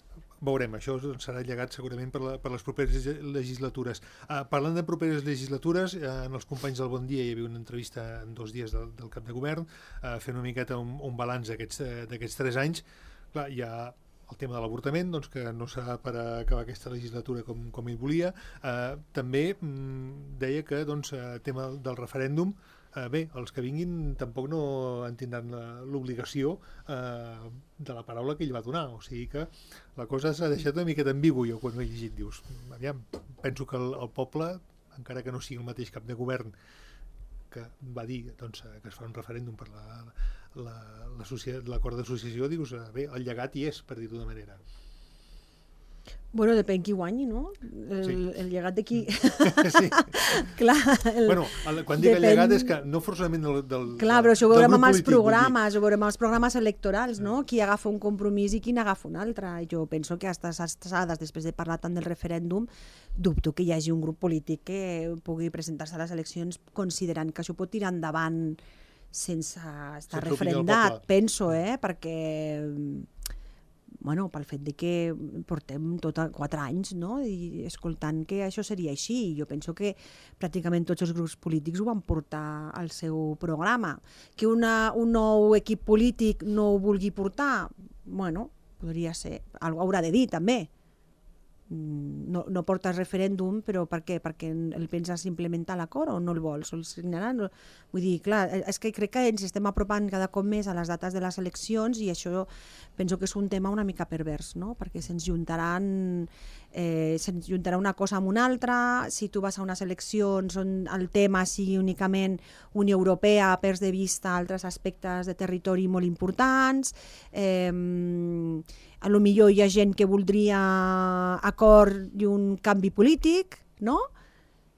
veurem, això doncs, serà llegat segurament per, la, per les properes legislatures. Uh, parlant de properes legislatures, uh, en els companys del Bon Dia hi havia una entrevista en dos dies del, del cap de govern, uh, fent una miqueta un, un balanç d'aquests tres anys. Clar, hi ha el tema de l'avortament, doncs, que no serà per acabar aquesta legislatura com, com ell volia. Eh, també mm, deia que el doncs, tema del referèndum, eh, bé, els que vinguin tampoc no en tindran l'obligació eh, de la paraula que ell va donar. O sigui que la cosa s'ha deixat una miqueta ambigu, jo quan ho he llegit. Dius, aviam, penso que el, el poble, encara que no sigui el mateix cap de govern que va dir doncs, que es fa un referèndum per la... l'acord d'associació, dius, bé, el llegat hi és, per dir-ho d'una manera. Bueno, depèn qui guanyi, no? El, sí. el llegat de qui... sí. Clar. El... Bueno, el, quan dic depèn... el llegat és que no forçament del, del Clar, però això ho veurem amb els polític, programes, ho veurem amb els programes electorals, no? Qui agafa un compromís i qui n'agafa un altre. Jo penso que a aquestes alçades, després de parlar tant del referèndum, dubto que hi hagi un grup polític que pugui presentar-se a les eleccions considerant que això pot tirar endavant sense estar refrendat, penso, eh? Perquè, bueno, pel fet de que portem tot quatre anys, no? I escoltant que això seria així. Jo penso que pràcticament tots els grups polítics ho van portar al seu programa. Que una, un nou equip polític no ho vulgui portar, bueno, podria ser. Algú haurà de dir, també. No, no portes referèndum, però per què? Perquè el penses implementar l'acord o no el vols? O el signaran? Vull dir, clar, és que crec que ens estem apropant cada cop més a les dates de les eleccions i això penso que és un tema una mica pervers, no? Perquè se'ns juntaran, eh, se'ns juntarà una cosa amb una altra. Si tu vas a unes eleccions on el tema sigui únicament Unió Europea, perds de vista altres aspectes de territori molt importants, eh, a lo millor hi ha gent que voldria acord i un canvi polític, no?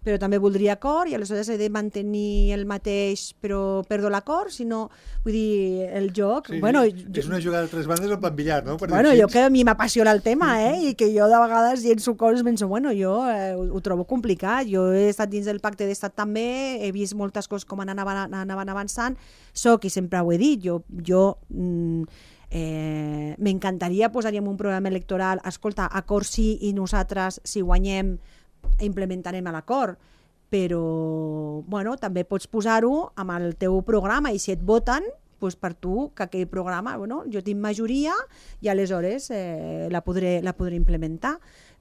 Però també voldria acord i aleshores he de mantenir el mateix però perdo l'acord, si no, vull dir, el joc... Sí, bueno, és una jugada de tres bandes en plan billar, no? Per bueno, jo que a mi m'apassiona el tema, eh? I que jo de vegades llenço coses, penso, bueno, jo eh, ho, ho trobo complicat, jo he estat dins del pacte d'estat també, he vist moltes coses com anaven, anaven avançant, soc, i sempre ho he dit, jo... jo mm, Eh, m'encantaria posar-hi un programa electoral, escolta, acord sí i nosaltres si guanyem implementarem l'acord, però bueno, també pots posar-ho amb el teu programa i si et voten, doncs per tu que aquell programa, bueno, jo tinc majoria i aleshores eh, la, podré, la podré implementar.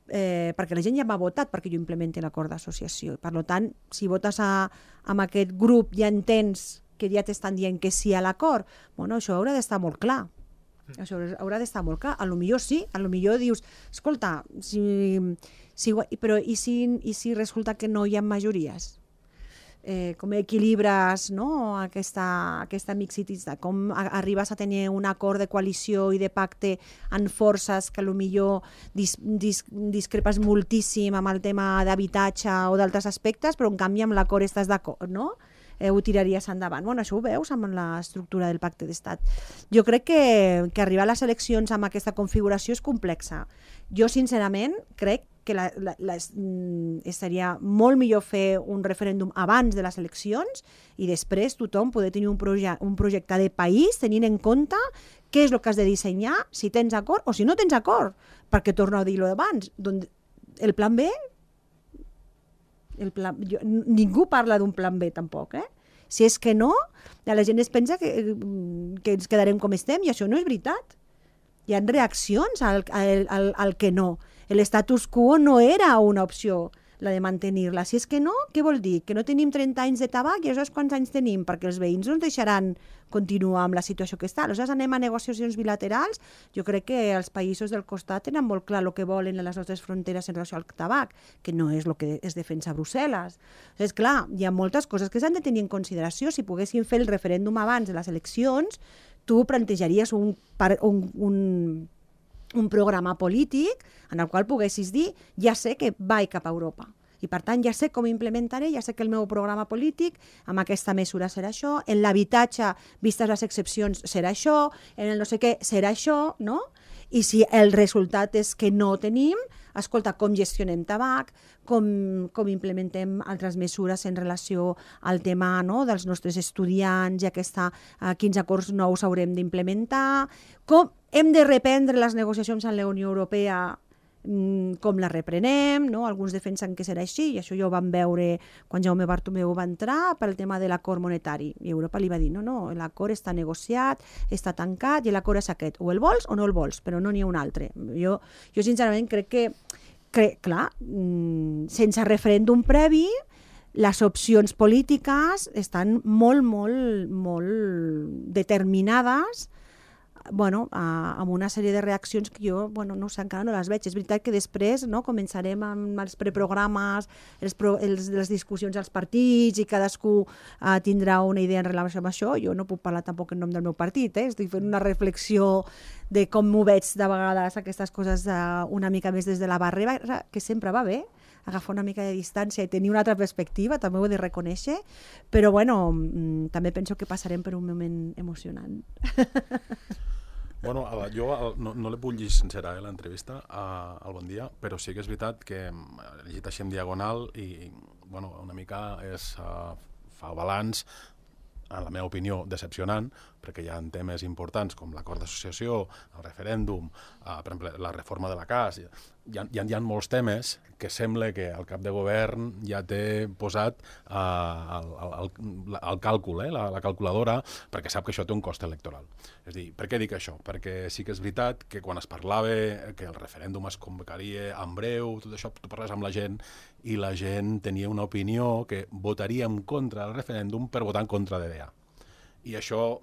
Eh, perquè la gent ja m'ha votat perquè jo implementi l'acord d'associació. Per tant, si votes a, amb aquest grup ja entens que ja t'estan dient que sí a l'acord, bueno, això haurà d'estar molt clar. Això haurà d'estar molt clar. A lo millor sí, a lo millor dius, escolta, si, si, però i si, i si resulta que no hi ha majories? Eh, com equilibres, no? aquesta, aquesta mixitat, com arribes a tenir un acord de coalició i de pacte en forces que a lo millor dis, dis, discrepes moltíssim amb el tema d'habitatge o d'altres aspectes, però en canvi amb l'acord estàs d'acord, no? Eh, ho tiraries endavant. Bueno, això ho veus amb l'estructura del pacte d'estat. Jo crec que, que arribar a les eleccions amb aquesta configuració és complexa. Jo, sincerament, crec que la, la, la, seria molt millor fer un referèndum abans de les eleccions i després tothom poder tenir un, proje un projecte de país tenint en compte què és el que has de dissenyar, si tens acord o si no tens acord, perquè torno a dir-ho abans. El plan B, el plan, jo, ningú parla d'un plan B tampoc, eh? Si és que no, la gent es pensa que, que ens quedarem com estem i això no és veritat. Hi ha reaccions al, al, al, al que no. L'estatus quo no era una opció, la de mantenir-la. Si és que no, què vol dir? Que no tenim trenta anys de tabac i aleshores quants anys tenim? Perquè els veïns no ens deixaran continuar amb la situació que està. Aleshores anem a negociacions bilaterals. Jo crec que els països del costat tenen molt clar el que volen en les nostres fronteres en relació al tabac, que no és el que es defensa a Brussel·les. És clar, hi ha moltes coses que s'han de tenir en consideració. Si poguéssim fer el referèndum abans de les eleccions, tu plantejaries un, un, un un programa polític en el qual poguessis dir ja sé que vaig cap a Europa i per tant ja sé com implementaré, ja sé que el meu programa polític amb aquesta mesura serà això, en l'habitatge, vistes les excepcions, serà això, en el no sé què serà això, no? I si el resultat és que no tenim, escolta, com gestionem tabac, com, com implementem altres mesures en relació al tema, no?, dels nostres estudiants i aquesta, uh, quins acords nous haurem d'implementar, com hem de reprendre les negociacions amb la Unió Europea, mm, com la reprenem, no? Alguns defensen que serà així, i això ja ho vam veure quan Jaume Bartomeu va entrar pel tema de l'acord monetari. I Europa li va dir, no, no, l'acord està negociat, està tancat, i l'acord és aquest. O el vols o no el vols, però no n'hi ha un altre. Jo, jo sincerament crec que, que clar, mm, sense referèndum previ, les opcions polítiques estan molt, molt, molt determinades, bueno, a, amb una sèrie de reaccions que jo, bueno, no sé, encara no les veig. És veritat que després, no, començarem amb els preprogrames, els pro, els, les discussions als partits i cadascú uh, tindrà una idea en relació amb això. Jo no puc parlar tampoc en nom del meu partit, eh? Estic fent una reflexió de com m'ho veig de vegades aquestes coses uh, una mica més des de la barrera, que sempre va bé agafar una mica de distància i tenir una altra perspectiva, també ho he de reconèixer, però bueno, mm, també penso que passarem per un moment emocionant. Bueno, jo no, no l'he pogut llegir sencera, eh, l'entrevista al Bon Dia, però sí que és veritat que he llegit així en diagonal i, bueno, una mica és, uh, fa balanç, en la meva opinió, decepcionant, perquè hi ha temes importants com l'acord d'associació, el referèndum, uh, per exemple, la reforma de la C A S. Hi ha, hi ha, hi ha molts temes que sembla que el cap de govern ja té posat uh, el, el, el, el càlcul, eh, la, la calculadora, perquè sap que això té un cost electoral. És a dir, per què dic això? Perquè sí que és veritat que quan es parlava que el referèndum es convocaria en breu, tot això, tu parles amb la gent i la gent tenia una opinió que votaria en contra del referèndum per votar en contra de D E A. I això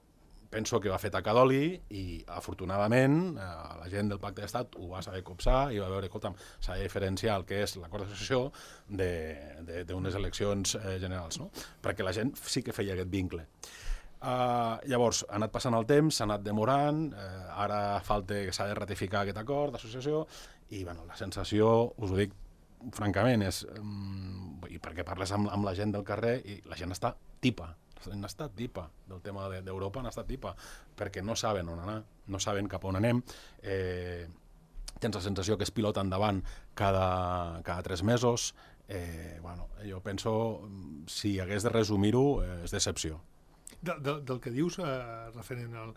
penso que va fer taca d'oli i, afortunadament, eh, la gent del Pacte d'Estat ho va saber copsar i va veure, escolta'm, s'ha de diferenciar el que és l'acord d'associació d'unes eleccions eh, generals, no? Perquè la gent sí que feia aquest vincle. Uh, llavors, ha anat passant el temps, s'ha anat demorant, eh, ara falta que s'ha de ratificar aquest acord d'associació i, bueno, la sensació, us ho dic francament, és, um, i perquè parles amb, amb la gent del carrer i la gent està tipa, han estat tipa del tema d'Europa, han estat tipa, perquè no saben on anar, no saben cap on anem, eh, tens la sensació que es pilota endavant cada, cada tres mesos, eh, bueno, jo penso, si hagués de resumir-ho, eh, és decepció. De, de, del que dius, eh, referent al,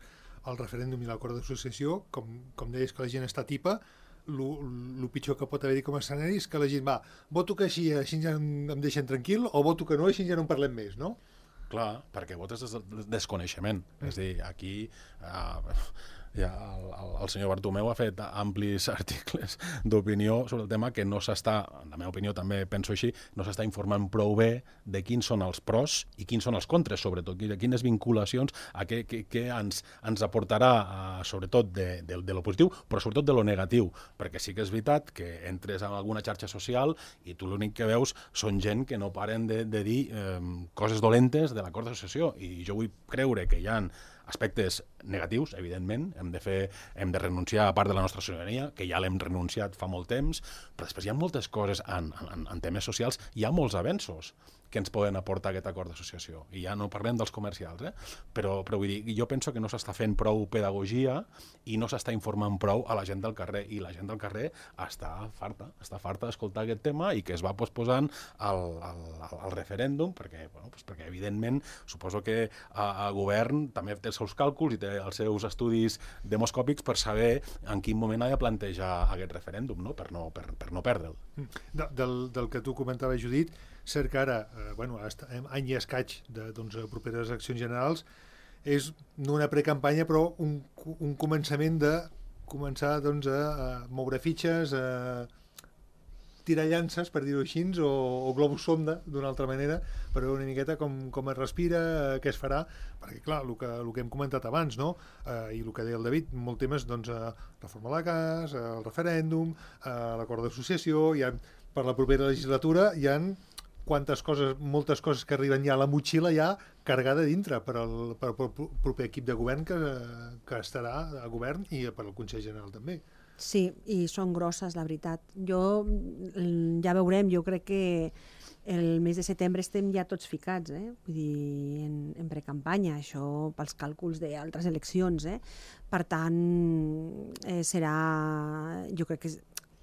al referèndum i l'acord d'associació, com, com deies que la gent està tipa, el pitjor que pot haver-hi com a escenari és que la gent va, voto que així, així ja em, em deixen tranquil, o voto que no, així ja no en parlem més, no? Clar, perquè votes des del desconeixement. Mm. És a dir, aquí uh, ja el, el, el senyor Bartomeu ha fet amplis articles d'opinió sobre el tema que no s'està, en la meva opinió també penso així, no s'està informant prou bé de quins són els pros i quins són els contres, sobretot, de quines vinculacions, a què, què, què ens, ens aportarà, uh, sobretot de, de, de lo positiu, però sobretot de lo negatiu, perquè sí que és veritat que entres en alguna xarxa social i tu l'únic que veus són gent que no paren de, de dir eh, coses dolentes de l'acord d'associació, i jo vull creure que hi ha aspectes negatius, evidentment, hem de fer, hem de renunciar a part de la nostra sobirania, que ja l'hem renunciat fa molt temps, però després hi ha moltes coses en, en, en temes socials, hi ha molts avenços que ens poden aportar aquest acord d'associació. I ja no parlem dels comercials, eh? però, però vull dir, jo penso que no s'està fent prou pedagogia i no s'està informant prou a la gent del carrer, i la gent del carrer està farta, està farta d'escoltar aquest tema i que es va posposant al, al, al referèndum, perquè, bueno, doncs perquè evidentment suposo que el govern també té els seus càlculs i té els seus estudis demoscòpics per saber en quin moment ha de plantejar aquest referèndum, no? Per, no, per, per no perdre'l. De, del, del que tu comentaves, Judit, cert que ara, eh, bueno, any i escaig de doncs, properes eleccions generals, és no una precampanya, però un, un començament de començar doncs, a, a moure fitxes, a tirar llances, per dir-ho així, o, o globus sonda, d'una altra manera, per veure una miqueta com, com es respira, què es farà, perquè, clar, el que, el que hem comentat abans, no? Eh, i el que deia el David, molt temes, doncs, eh, reforma la C A S, eh, el referèndum, eh, l'acord d'associació, hi ha, per la propera legislatura hi ha quantes coses, moltes coses que arriben ja a la motxilla ja carregada dintre per al, per al proper equip de govern que, que estarà a govern i per al Consell General també. Sí, i són grosses, la veritat. Jo, ja veurem, jo crec que el mes de setembre estem ja tots ficats, eh? Vull dir, en, en precampanya, això pels càlculs d'altres eleccions, eh? Per tant, eh, serà, jo crec que,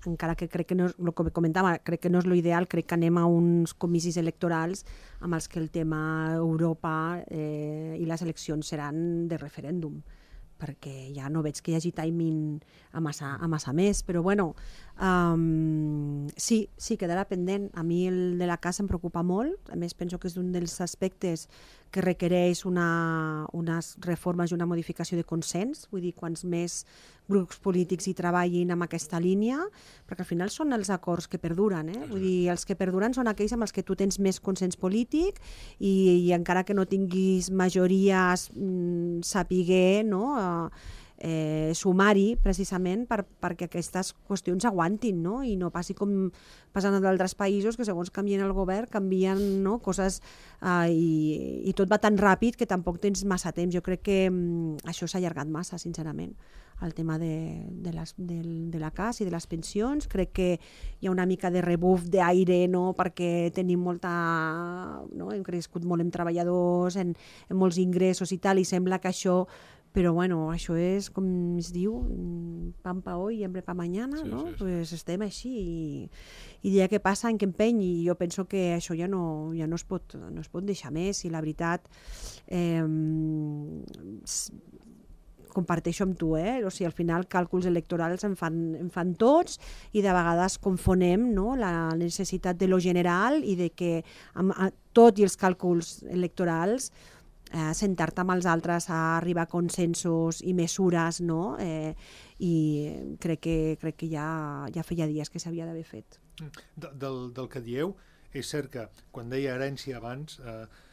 encara que crec que no, el que comentava, crec que no és l'ideal, crec que anem a uns comicis electorals amb els que el tema Europa eh, i les eleccions seran de referèndum, perquè ja no veig que hi hagi timing a massa, a massa més, però bueno, um, sí, sí, quedarà pendent. A mi el de la casa em preocupa molt, a més penso que és un dels aspectes que requereix una, unes reformes i una modificació de consens, vull dir, quants més grups polítics hi treballin amb aquesta línia, perquè al final són els acords que perduren, eh? Vull dir, els que perduren són aquells amb els que tu tens més consens polític i, i encara que no tinguis majories mm, sapiguer, no?, eh, sumar-hi precisament per, perquè aquestes qüestions aguantin, no? I no passi com passant en d'altres països que segons canvien el govern canvien, no?, coses eh, i, i tot va tan ràpid que tampoc tens massa temps. Jo crec que mm, això s'ha allargat massa, sincerament, el tema de, de, les, de, de la C A S i de les pensions. Crec que hi ha una mica de rebuf d'aire, no?, perquè tenim molta, no?, hem crescut molt en treballadors, en, en molts ingressos i tal, i sembla que això, però bueno, això és, com es diu, pan pa hoy y hambre pa mañana, sí, no? Sí, sí. Pues estem així i, i dia que passa en que empeny, i jo penso que això ja no, ja no, es, pot, no es pot deixar més, i la veritat eh, comparteixo amb tu, eh? O sigui, al final càlculs electorals en fan, en fan tots i de vegades confonem, no?, la necessitat de lo general i de que amb, a, tot i els càlculs electorals eh, sentar-te amb els altres a arribar a consensos i mesures, no? Eh, i crec que, crec que ja, ja feia dies que s'havia d'haver fet. De, del, del que dieu, és cert que quan deia herència abans, eh,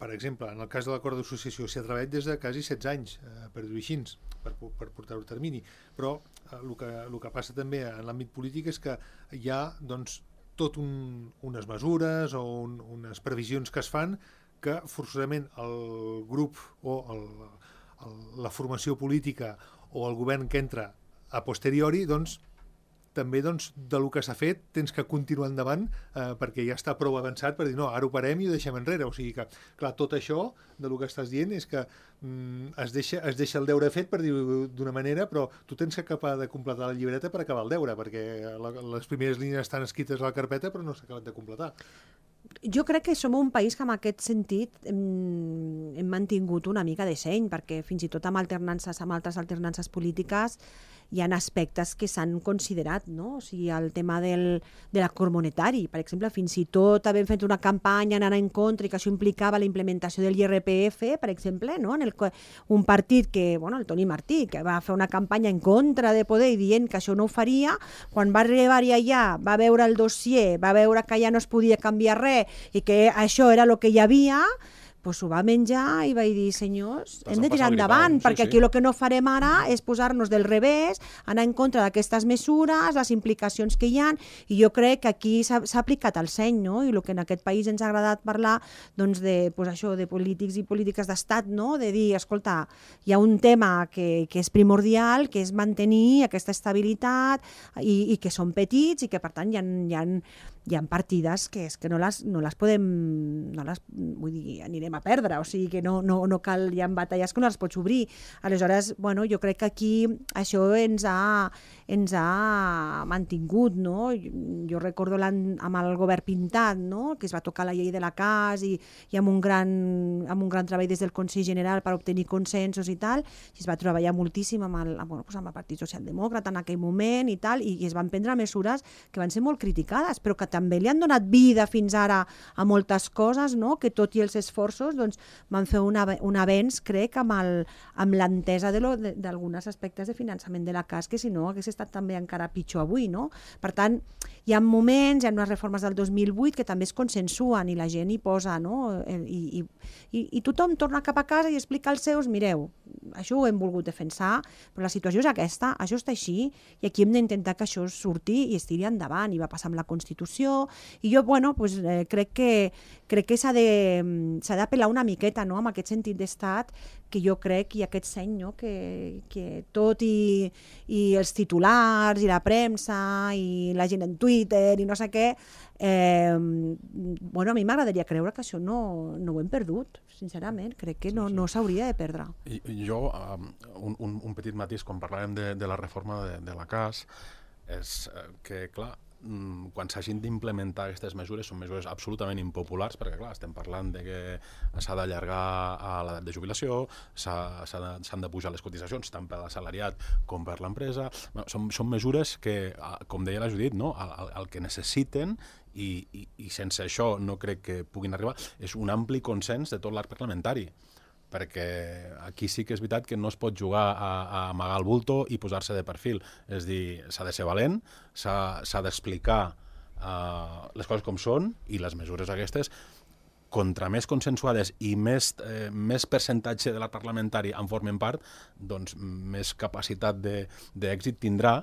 per exemple, en el cas de l'acord d'associació s'hi ha treballat des de quasi setze anys, eh, per dir-ho així, per, per portar-ho a termini, però eh, el, que, el que passa també en l'àmbit polític és que hi ha doncs, tot un, unes mesures o un, unes previsions que es fan que forçosament el grup o el, el, la formació política o el govern que entra a posteriori, doncs, també doncs, de lo que s'ha fet tens que continuar endavant eh, perquè ja està prou avançat per dir no, ara ho parem i ho deixem enrere. O sigui que, clar, tot això de lo que estàs dient és que mm, es, deixa, es deixa el deure fet, per dir-ho d'una manera, però tu tens que acabar de completar la llibreta per acabar el deure, perquè la, les primeres línies estan escrites a la carpeta però no s'ha acabat de completar. Jo crec que som un país que en aquest sentit hem, hem mantingut una mica de seny, perquè fins i tot amb alternances, amb altres alternances polítiques hi ha aspectes que s'han considerat, no? O sigui, el tema del, de l'acord monetari, per exemple, fins i tot havent fet una campanya anant en contra i que això implicava la implementació del I R P F, per exemple, no? En el, un partit que, bueno, el Toni Martí, que va fer una campanya en contra de poder i dient que això no ho faria, quan va arribar-hi allà, va veure el dossier, va veure que ja no es podia canviar res i que això era el que hi havia, pues ho va menjar i vaig dir, senyors, hem de tirar endavant, sí, perquè sí. Aquí el que no farem ara és posar-nos del revés, anar en contra d'aquestes mesures, les implicacions que hi ha, i jo crec que aquí s'ha aplicat el seny, no? I el que en aquest país ens ha agradat parlar, doncs, de, pues això, de polítics i polítiques d'estat, no? De dir, escolta, hi ha un tema que, que és primordial, que és mantenir aquesta estabilitat i, i que són petits i que, per tant, hi ha, hi ha hi ha partides que és que no les, no les podem, no les, vull dir, anirem a perdre, o sigui que no, no, no cal, hi ha batalles que no les pots obrir. Aleshores, bueno, jo crec que aquí això ens ha, ens ha mantingut, no? Jo recordo amb el govern pintat, no? Que es va tocar la llei de la C A S i, i amb, un gran, amb un gran treball des del Consell General per obtenir consensos i tal, i es va treballar moltíssim amb el, bueno, doncs amb el Partit Socialdemòcrata en aquell moment i tal, i, i es van prendre mesures que van ser molt criticades, però que també li han donat vida fins ara a moltes coses, no? Que tot i els esforços doncs, van fer un, un avenç, crec, amb, el, amb l'entesa d'alguns aspectes de finançament de la C A S, que si no hagués estat també encara pitjor avui, no? Per tant, hi ha moments, hi ha unes reformes del dos mil vuit que també es consensuen i la gent hi posa, no? I, i, i, i tothom torna cap a casa i explica als seus, mireu, això ho hem volgut defensar, però la situació és aquesta, això està així, i aquí hem d'intentar que això surti i es tiri endavant, i va passar amb la Constitució, i jo, bueno, pues, eh, crec que, crec que s'ha d'apel·lar una miqueta, no?, amb aquest sentit d'estat, que jo crec, i aquest seny, no?, que, que tot i, i els titulars, i la premsa, i la gent en Twitter, i no sé què, eh, bueno, a mi m'agradaria creure que això no, no ho hem perdut, sincerament, crec que no, no s'hauria de perdre. I, jo, um, un, un, un petit matís, quan parlàvem de, de la reforma de, de la C A S, és que, clar, quan s'hagin d'implementar aquestes mesures, són mesures absolutament impopulars, perquè clar, estem parlant de que s'ha d'allargar a l'edat de jubilació, s'han de, de pujar les cotitzacions tant per l'assalariat com per l'empresa. Bueno, són, són mesures que, com deia la Judit, no? el, el que necessiten i, i, i sense això no crec que puguin arribar, és un ampli consens de tot l'arc parlamentari, perquè aquí sí que és veritat que no es pot jugar a, a amagar el bulto i posar-se de perfil. És dir, s'ha de ser valent, s'ha d'explicar uh, les coses com són, i les mesures aquestes, contra més consensuades i més, eh, més percentatge de l'arc parlamentari en formen part, doncs més capacitat d'èxit tindrà,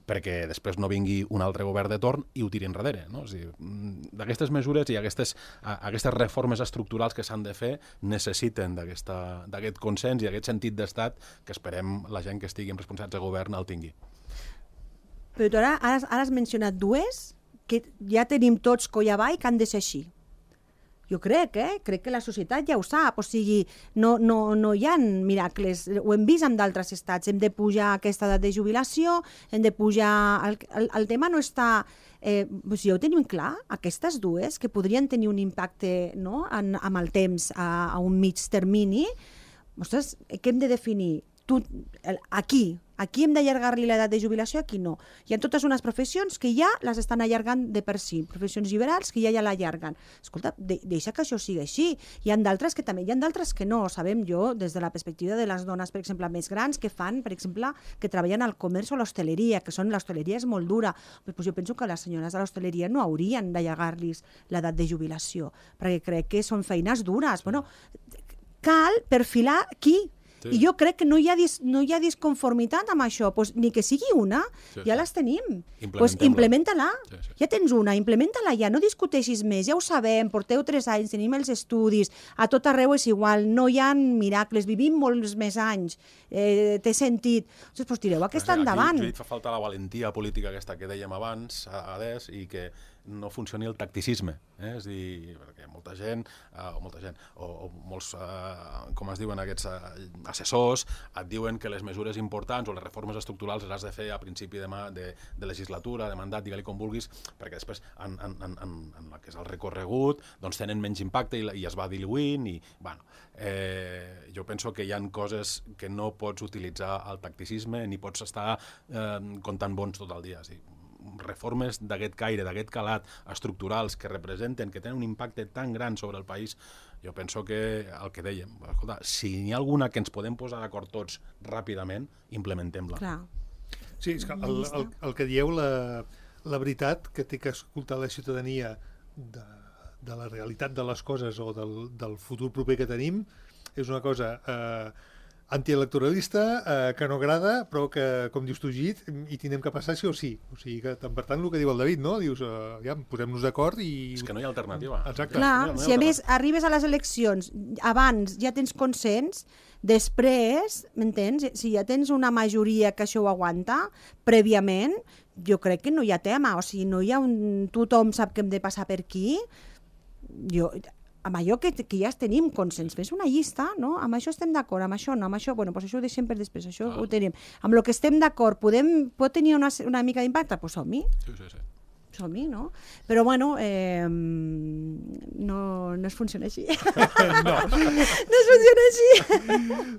perquè després no vingui un altre govern de torn i ho tiri enrere. No? D'aquestes mesures i aquestes, aquestes reformes estructurals que s'han de fer necessiten d'aquest consens i d'aquest sentit d'estat que esperem la gent que estigui en responsabilitats de govern el tingui. Però tu ara, ara, ara has mencionat dues que ja tenim tots coll avall que han de ser així. Jo crec, eh? Crec que la societat ja ho sap, o sigui, no, no, no hi ha miracles, ho hem vist en d'altres estats, hem de pujar aquesta edat de jubilació, hem de pujar... El, el, el tema no està... Eh, doncs ja ho tenim clar, aquestes dues, que podrien tenir un impacte, no?, en, amb el temps a, a un mig termini, ostres, què hem de definir? Tu, aquí, aquí hem d'allargar-li l'edat de jubilació, aquí no. Hi ha totes unes professions que ja les estan allargant de per si, professions liberals que ja ja l'allarguen. Escolta, de, deixa que això sigui així. Hi ha d'altres que també, hi ha d'altres que no. Sabem jo, des de la perspectiva de les dones, per exemple, més grans, que fan, per exemple, que treballen al comerç o l'hostaleria, que són, l'hostaleria és molt dura. Doncs jo penso que les senyores de l'hostaleria no haurien d'allargar-los l'edat de jubilació, perquè crec que són feines dures. Bueno, cal perfilar qui? Sí. I jo crec que no hi ha, dis, no hi ha disconformitat amb això, pues, ni que sigui una, sí, ja sí. les tenim. Pues, implementa-la, sí, sí. ja tens una, implementa-la ja, no discuteixis més, ja ho sabem, porteu tres anys, tenim els estudis, a tot arreu és igual, no hi ha miracles, vivim molts més anys, eh, té sentit. Doncs pues, tireu aquesta aquí, endavant. Aquí fa falta la valentia política aquesta que dèiem abans, a, a des, i que no funcioni el tacticisme, eh? És dir, perquè molta gent, eh, o molta gent, o, o molts, eh, com es diuen aquests eh, assessors, et diuen que les mesures importants o les reformes estructurals les has de fer a principi de, de, de legislatura, de mandat, digue-li com vulguis, perquè després en, en, en, en el que és el recorregut doncs tenen menys impacte i, i es va diluint i, bueno, eh, jo penso que hi ha coses que no pots utilitzar el tacticisme ni pots estar eh, comptant bons tot el dia, sí. Reformes d'aquest caire, d'aquest calat, estructurals que representen, que tenen un impacte tan gran sobre el país, jo penso que el que dèiem, escolta, si n'hi ha alguna que ens podem posar d'acord tots ràpidament, implementem-la. Clar. Sí, és que el, el, el que dieu, la, la veritat que té que escoltar la ciutadania de, de la realitat de les coses o del, del futur proper que tenim, és una cosa... Eh, antielectoralista, eh, que no agrada, però que, com dius tu, Git, hi tindrem que passar sí o sí. O sigui que, per tant, el que diu el David, no? Dius, eh, ja, posem-nos d'acord i... És que no hi ha alternativa. Exacte. Clar, no si a més arribes a les eleccions, abans ja tens consens, després, m'entens? Si ja tens una majoria que això ho aguanta, prèviament, jo crec que no hi ha tema. O sigui, no hi ha un... Tothom sap que hem de passar per aquí. Jo... amb allò que, que ja tenim consens, fes una llista, no? Amb això estem d'acord, amb això no, amb això, bueno, pues això ho deixem per després, això ah. ho tenim. Amb el que estem d'acord, podem, pot tenir una, una mica d'impacte? Doncs som-hi. Sí, sí, sí. Som-hi, no? Però, bueno, eh, no, no es funciona així. No. No es funciona així.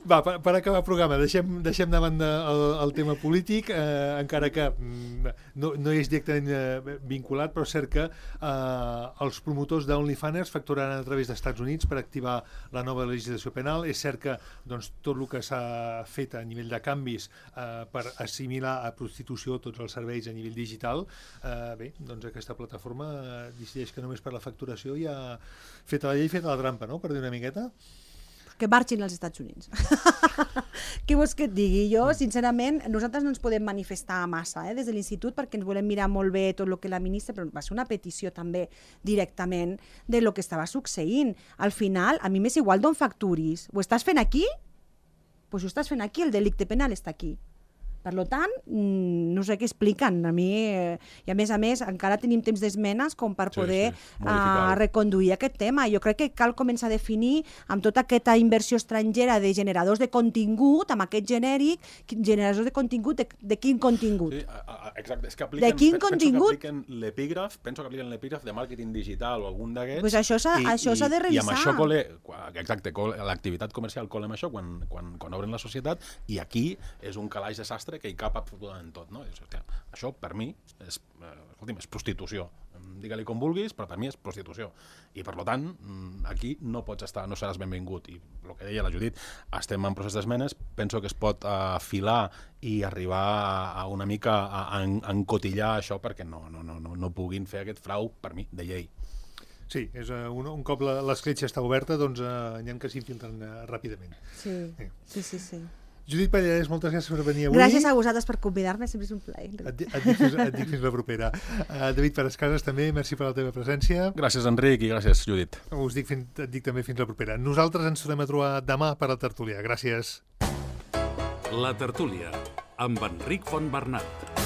Va, per, per acabar el programa, deixem, deixem de banda el, el tema polític, eh, encara que mm, no, no és directament eh, vinculat, però és cert que eh, els promotors d'OnlyFans facturaran a través dels Estats Units per activar la nova legislació penal. És cert que doncs, tot el que s'ha fet a nivell de canvis eh, per assimilar a prostitució tots els serveis a nivell digital, eh, bé, doncs aquesta plataforma decideix que només per la facturació ja ha fet la llei, fet la trampa, no?, per dir una miqueta. Que marxin als Estats Units. Què vols que et digui? Jo, sincerament, nosaltres no ens podem manifestar massa eh, des de l'Institut perquè ens volem mirar molt bé tot el que la ministra, però va ser una petició també directament de lo que estava succeint. Al final, a mi m'és igual d'on facturis. Ho estàs fent aquí? Doncs pues ho estàs fent aquí, el delicte penal està aquí. Per tant, no sé què expliquen. A mi, eh, i a més a més, encara tenim temps d'esmenes com per poder sí, sí, uh, reconduir aquest tema. Jo crec que cal començar a definir amb tota aquesta inversió estrangera de generadors de contingut, amb aquest genèric, generadors de contingut, de, de quin contingut? Sí, exacte. És que apliquen, de quin penso contingut? que apliquen l'epígraf, penso que apliquen l'epígraf de màrqueting digital o algun d'aquests. Pues això s'ha de revisar. I amb això, cole, exacte, l'activitat comercial cola amb això quan, quan, quan obren la societat, i aquí és un calaix de sastre que hi cap absolutament tot, no? Hòstia, això, per mi, és, eh, escolti'm, és prostitució. Digue-li com vulguis, però per mi és prostitució. I, per tant, aquí no pots estar, no seràs benvingut. I el que deia la Judit, estem en procés d'esmenes, penso que es pot afilar i arribar a una mica a, a encotillar això perquè no, no, no, no, no puguin fer aquest frau, per mi, de llei. Sí, és, uh, un, un cop l'escletxa està oberta, doncs uh, n'hi ha que s'infiltren uh, ràpidament. Sí, sí, sí, sí. sí. Judit Pallarès, moltes gràcies per venir avui. Gràcies a vosaltres per convidar-me, sempre és un plaer. Et, et, dic, fins, et dic fins la propera. Uh, David Parascases, també, merci per la teva presència. Gràcies, Enric, i gràcies, Judit. Us dic, fins, et dic també fins la propera. Nosaltres ens tornem a trobar demà per la tertúlia. Gràcies. La tertúlia, amb Enric Fontbernat.